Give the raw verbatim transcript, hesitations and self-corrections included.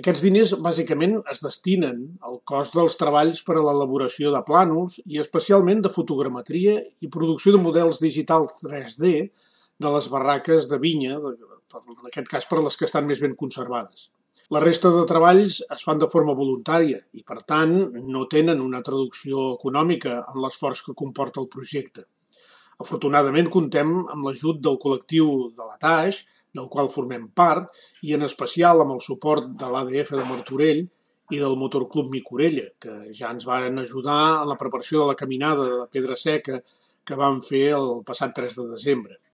Aquests diners bàsicament es destinen al cost dels treballs per a l'elaboració de plànols i especialment de fotogrametria i producció de models digitals tres D de les barraques de vinya, en aquest cas per a les que estan més ben conservades. La resta de treballs es fan de forma voluntària i, per tant, no tenen una traducció econòmica en l'esforç que comporta el projecte. Afortunadament, comptem amb l'ajut del col·lectiu de la Taix, del qual formem part, i en especial amb el suport de l'A D F de Martorell i del Motorclub Micorella, que ja ens van ajudar en la preparació de la caminada de Pedra Seca que vam fer el passat tres de desembre.